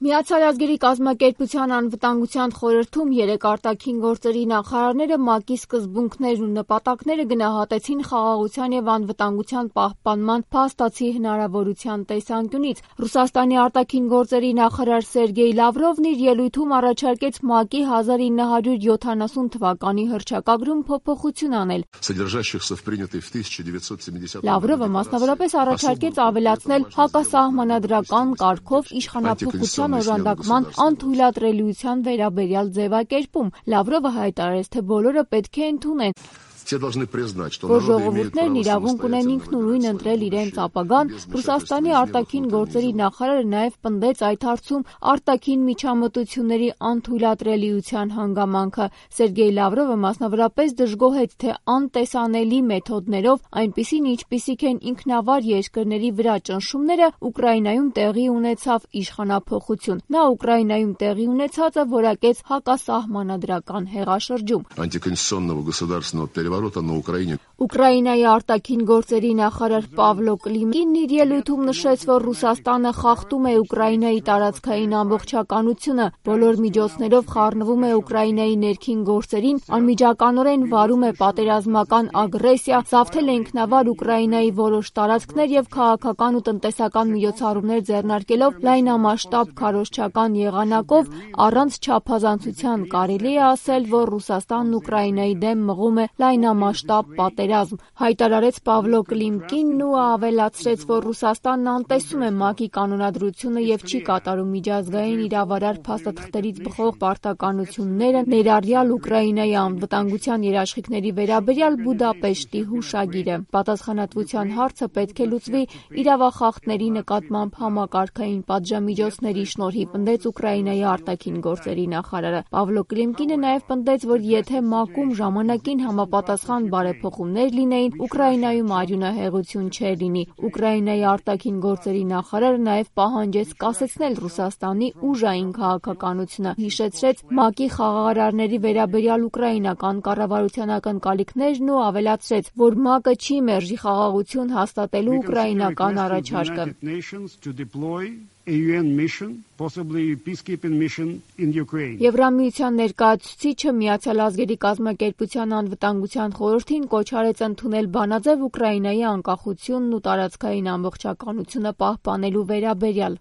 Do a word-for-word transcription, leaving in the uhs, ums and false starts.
Միացյալ ազգերի կազմակերպության անվտանգության խորհրդում երեք արտաքին գործերի նախարարները ՄԱԿ-ի սկզբունքներն ու նպատակները գնահատեցին խաղաղության և անվտանգության պահպանման փաստացի հնարավորության տեսանկյունից։ Ռուսաստանի արտաքին գործերի նախարար Սերգեյ Լավրովն իր ելույթում առաջարկեց ՄԱԿ-ի հազար ինը հարյուր յոթանասուն թվականի հռչակագրում փոփոխություն անել։ Լավրովը մասնավորապես առաջարկեց ավելացնել հակասահմանադրական կարգով իշխանափոխության օժանդակման անթույլատրելիության վերաբերյալ ձևակերպում։ Լավրովը հայտարարեց, թե բոլորը պետք է ընդունեն, որ ժողովուրդներն իրավունք ունեն ինքնուրույն ընտրել իրենց ապագան։ Ռուսաստանի արտաքին գործերի նախարարը նաև պնդեց այդ հարցում արտաքին միջամտությունների անթույլատրելիության հանգամանքը։ Սերգեյ Լավրովը մասնավորապես դժգոհեց, թե անտեսանելի մեթոդներով, այնպիսին ինչպիսիք են ինքնավար երկրների վրա ճնշումները, Ուկրաինայում տեղի ունեցավ իշխանափոխություն։ Նա Ուկրաինայում տեղի ունեցածը որակեց հակասահմանադրական հեղաշրջում։ Ուկրաինայի արտաքին գործերի նախարար Պավլո Կլիմկինն իր ելույթում նշեց, որ Ռուսաստանը խախտում է Ուկրաինայի տարածքային ամբողջականությունը, բոլոր միջոցներով խառնվում է Ուկրաինայի ներքին գործերին, անմիջականորեն վարում է պատերազմական ագրեսիա, զավթել է ինքնավար Ուկրաինայի որոշ տարածքներ և քաղաքական ու տնտեսական միջոցառումներ ձեռնարկելով լայնամասշտաբ քարոզչական եղանակով, առանց չափազանցության կարելի է ասել, որ Ռուսաստանն Ուկրաինայի դեմ մղում է լայնամասշտաբ պատերազմ, հայտարարեց Պավլո Կլիմկինն ու ավելացրեց, որ Ռուսաստանն անտեսում է ՄԱԿ-ի կանոնադրությունը և չի կատարում միջազգային իրավարար փաստաթղթերից բխող պարտականությունները, ներառյալ Ուկրաինայի անվտանգության երաշխիքների վերաբերյալ Բուդապեշտի հուշագիրը։ Պատասխանատվության հարցը պետք է լուծվի իրավախախտների նկատմամբ համակարգային պատժամիջոցների շնորհիվ, պնդեց Ուկրաինայի արտաքին գործերի նախարարը։ Պավլո Կլիմկինը նաև պնդեց, որ եթե ՄԱԿ-ում ժամանակին համապատասխան բարեփոխումներ լինեին, Ուկրաինայում արյունահեղություն չէր լինի։ Ուկրաինայի արտաքին գործերի նախարարը նաև պահանջեց կասեցնել Ռուսաստանի ուժային քաղաքականությունը, հիշեցրեց ՄԱԿ-ի խաղաղարարների վերաբերյալ ուկրաինական կառավարության ակնկալիքներն ու ավելացրեց, որ ՄԱԿ-ը չի մերժի խաղաղություն հաստատելու ուկրաինական առաջարկը։ Եվրամիության ներկայացուցիչը Միացյալ ազգերի կազմակերպության անվտանգության խորհրդին կոչ արեց ընդունել բանաձև Ուկրաինայի անկախությունն ու տարածքային ամբողջականությունը պահպանելու վերաբերյալ։